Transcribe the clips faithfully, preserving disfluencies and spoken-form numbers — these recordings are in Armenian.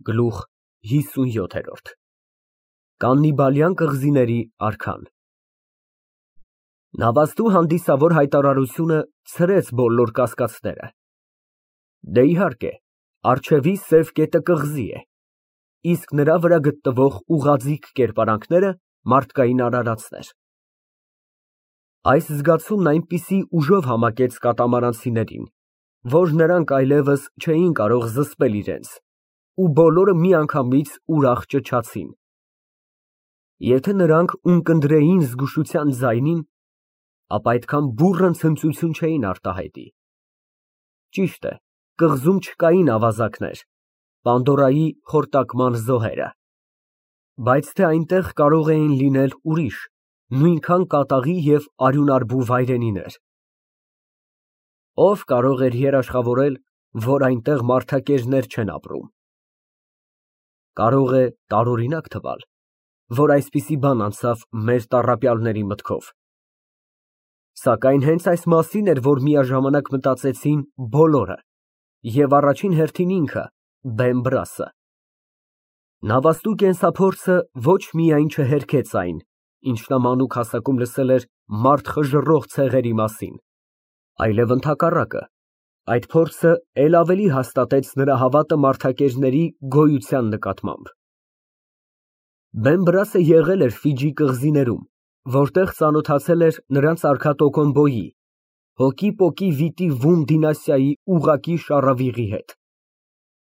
Գլուխ հիսունյոթ Կաննիբալյան կղզիների արքան Նավաստու հանդիսավոր հայտարարությունը ցրեց բոլոր կասկածները։ Դե, իհարկե, առջևի սև կետը կղզի է, իսկ նրա վրա գտնվող ուղղաձիգ կերպարանքները մարդկային արարածներ։ Այս զգացումն այնպիսի ուժով համակեց կատամարանցիներին, որ նրանք այլևս չէին կարող զսպել իրենց, ու բոլորը միանգամից ուրախ ճչացին։ Եթե նրանք ունկնդրեին զգուշության ձայնին, ապա այդքան բուռն ցնծություն չէին արտահայտի։ Ճիշտ է, կղզում չկային ավազակներ, Պանդորայի խորտակման զոհերը, բայց թե այնտեղ կարող էին լինել ուրիշ, նույնքան կատաղի և արյունարբու վայրենիներ։ Ո՞վ կարող էր երաշխավորել, որ այնտեղ մարդակերներ չեն ապրում։ Կարող է տարօրինակ թվալ, որ այսպիսի բան անցավ մեր տառապյալների մտքով, սակայն հենց այս մասին էր, որ միաժամանակ մտածեցին բոլորը և առաջին հերթին ինքը՝ Բեմբրասը։ Նավաստու կենսափորձը ոչ միայն չհերքեց այն, ինչ նա մանուկ հասակում լսել էր մարդ խժռող ցեղերի մասին, այլև ընդհակառակը, այդ փորձը էլ ավելի հաստատեց նրա հավատը մարդակերների գոյության նկատմամբ։ Բեմբրասը եղել էր Ֆիջի կղզիներում, որտեղ ծանոթացել էր նրանց արքա Տոկոմբոյի, հոգի Վիտի Վում դինաստիայի ուղղակի շառավիղի հետ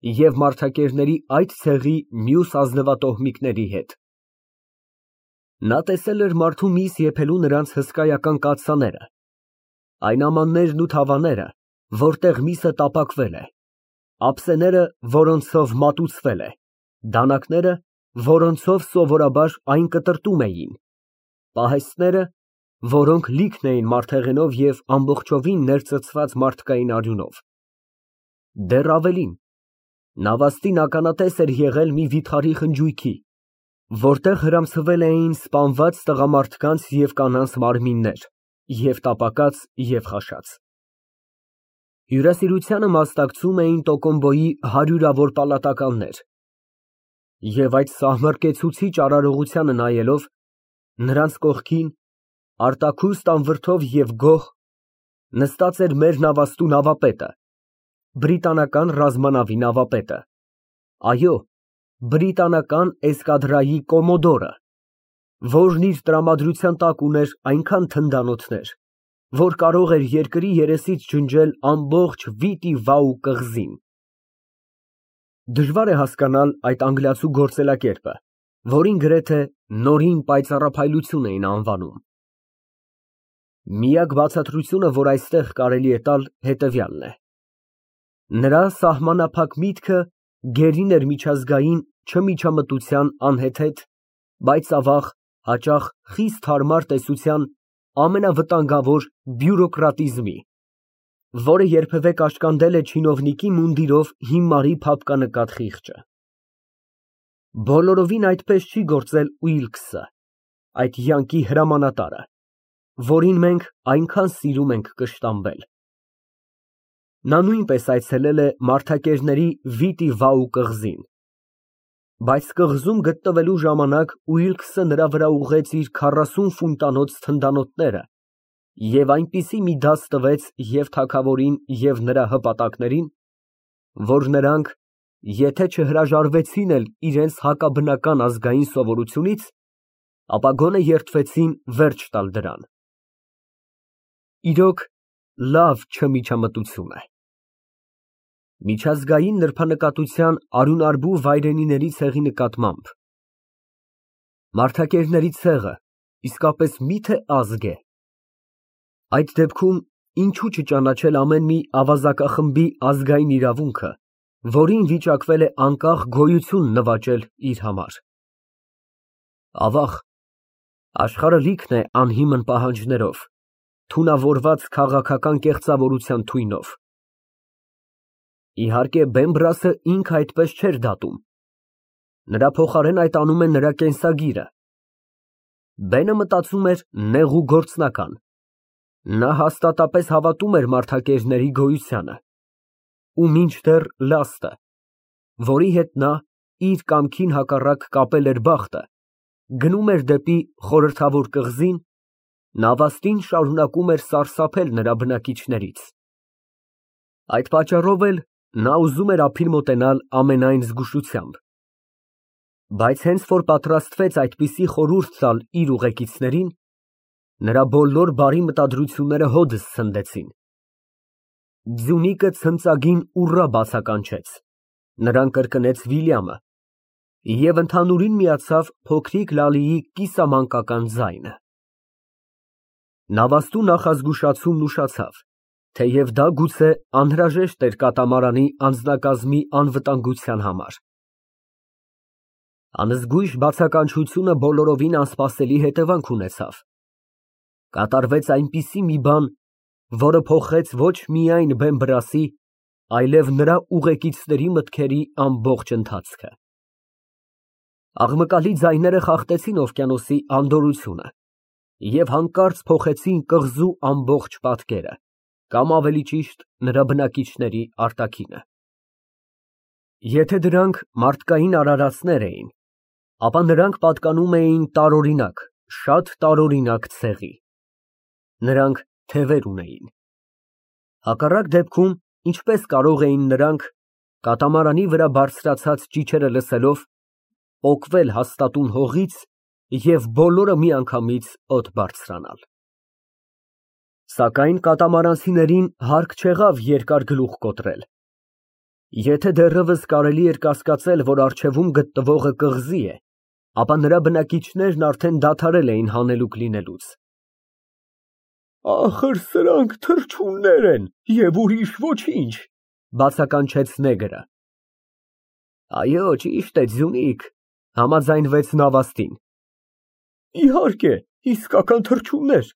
և մարդակերների այդ ցեղի մյուս ազնվատոհմիկների հետ։ Նա տեսել էր մարդու միս եփելու նրանց հսկայական կաթսաները, այն ամաններն ու թավաները, որտեղ միսը տապակվել է, ափսեները, որոնցով մատուցվել է, դանակները, որոնցով սովորաբար այն կտրտում էին, պահեստները, որոնք լիքն էին մարդեղենով և ամբողջովին ներծծված մարդկային արյունով։ Դեռ ավելին, նավաստին ականատես էր եղել մի վիթխարի խնջույքի, որտեղ հրամցվել էին սպանված տղամարդկանց և կանանց մարմիններ, և տապակած, և խաշած։ Հյուրասիրությանը մասնակցում էին Տոկոմբոյի հարյուրավոր պալատականներ, և այդ սահմռկեցուցիչ արարողությանը նայելով, նրանց կողքին, արտաքուստ անվրդով և գոհ, նստած էր մեր նավաստու նավապետը, բրիտանական ռազմանավի նավապետը, այո, բրիտանական էսկադրայի կոմոդորը, որն իր տրամադրության տակ ուներ այնքան թնդանոթներ, որ կարող էր երկրի երեսից ջնջել ամբողջ Վիտի Վաու կղզին։ Դժվար է հասկանալ այդ անգլիացու գործելակերպը, որին գրեթե նորին պայծառափայլություն էին անվանում։ Միակ բացատրությունը, որ այստեղ կարելի է տալ, հետևյալն է. նրա սահմանափակ միտքը գերին էր միջազգային չմիջամտության անհեթեթ, բայց ավաղ, հաճախ խիստ հարմար տեսության ամենավտանգավոր բյուրոկրատիզմի, որը երբևէ կաշկանդել է չինովնիկի մունդիրով հիմարի փափկանկատ խիղճը։ Բոլորովին այդպես չի գործել Ուիլքսը, այդ յանկի հրամանատարը, որին մենք այնքան սիրում ենք կշտամբել։ Նա նույնպես այցելել է մարդակերների Վիտի Վաու կղզին, բայց կղզում գտնվելու ժամանակ Ուիլքսը նրա վրա ուղղեց իր քառասուն ֆուտանոց թնդանոթները և այնպիսի մի դաս տվեց և թագավորին, և նրա հպատակներին, որ նրանք, եթե չհրաժարվեցին էլ իրենց հակաբնական ազգային սովորությունից, ապա գոնե երդվեցին վերջ տալ դրան։ Իրոք, լավ չմիջամտություն է։ Միջազգային նրբանկատության արյունարբու վայրենիների ցեղի նկատմամբ մարդակերների ցեղը իսկապես մի՞թե ազգ է։ Այդ դեպքում ինչու չճանաչել ամեն մի ավազակախմբի ազգային իրավունքը, որին վիճակվել է անկախ գոյություն նվաճել իր համար։ Ավաղ, աշխարհը լիքն է անհիմն պահանջներով, թունավորված քաղաքական կեղծավորության թույնով։ Իհարկե, Բեմբրասը ինքը այդպես չէր դատում, նրա փոխարեն այդ անում է նրա կենսագիրը։ Բենը մտածում էր նեղ ու գործնական, նա հաստատապես հավատում էր մարդակերների գոյությանը ու մինչդեռ լաստը, որի հետ նա իր կամքին հակառակ կապել էր բախտը, գնում էր դեպի խորհրդավոր կղզին, նավաստին շարունակում էր սարսափել նրա բնակիչներից։ Այդ պատճառով էլ նա ուզում էր ափին մոտենալ ամենայն զգուշությամբ։ Բայց հենց որ պատրաստվեց այդպիսի խորհուրդ տալ իր ուղեկիցներին, նրա բոլոր բարի մտադրությունները հօդս ցնդեցին։ Ձյունիկը ցնծագին ուռա բացականչեց, նրան կրկնեց Վիլյամը և ընդհանուրին միացավ փոքրիկ Լալիի կիսամանկական ձայնը։ Նավաստու նախազգուշացումն ուշացավ, թեև դա գուցե անհրաժեշտ էր կատամարանի անձնակազմի անվտանգության համար։ Անզգույշ բացականչությունը բոլորովին անսպասելի հետևանք ունեցավ։ Կատարվեց այնպիսի մի բան, որը փոխեց ոչ միայն Բեմբրասի, այլև նրա ուղեկիցների մտքերի ամբողջ ընթացքը։ Աղմկալի ձայները խախտեցին օվկիանոսի անդորրությունը և հանկարծ փոխեցին կղզու ամբողջ պատկերը, կամ ավելի ճիշտ նրա բնակիչների արտաքինը։ Եթե դրանք մարդկային արարածներ էին, ապա նրանք պատկանում էին տարօրինակ, շատ տարօրինակ ցեղի։ Նրանք թևեր ունեին։ Հակառակ դեպքում ինչպես կարող էին նրանք, կատամարանի վրա բարձրացած ճիչերը լսելով, պոկվել հաստատուն հողից և բոլորը միանգամից օդ բարձրանալ։ Սակայն կատամարանցիներին հարկ չեղավ երկար գլուխ կոտրել։ Եթե դեռևս կարելի էր կասկածել, որ առջևում գտնվողը կղզի է, ապա նրա բնակիչներն արդեն դադարել էին հանելուկ լինելուց։ Ախր սրանք թռչուններ են և ուրիշ ոչինչ, բացականչեց նեգրը։ Այո, ճիշտ է, ձյունիկ, համաձայնվեց նավաստին։ Իհարկե, իսկական թռչուններ,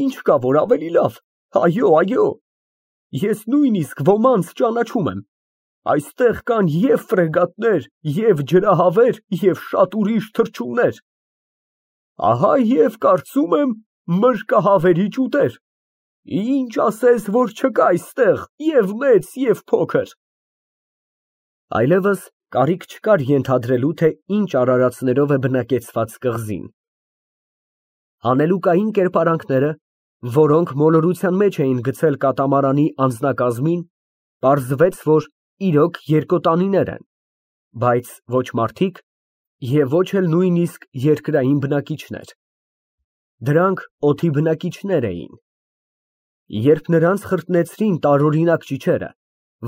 ինչ կա որ ավելի լավ, այո, այո, ես նույնիսկ ոմանց ճանաչում եմ, այստեղ կան և ֆրեգատներ, և ջրահավեր, և շատ ուրիշ թռչուններ, ահա և կարծում եմ մրրկահավերի ճուտեր, ինչ ասես, որ չկա այստեղ և մեծ, և փոքր։ Այլևս կարիք չկար ենթադրելու, թե ինչ արարածներով է բնակեցված կղզին։ Հանելուկային կերպարանքները, որոնք մոլորության մեջ էին գցել կատամարանի անձնակազմին, պարզվեց, որ իրոք երկոտանիներ են, բայց ոչ մարդիկ և ոչ էլ նույնիսկ երկրային բնակիչներ։ Դրանք օդի բնակիչներ էին։ Երբ նրանց խրտնեցրին տարօրինակ ճիչերը,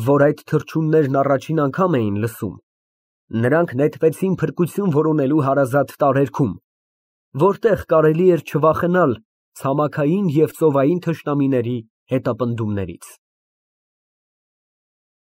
որ այդ թռչուններն առաջին անգամ էին լսում, նրանք նետվեցին փրկություն որոնելու հարազատ տարերքում, որտեղ կարելի էր չվախենալ ցամաքային և ծովային թշնամիների հետապնդումներից։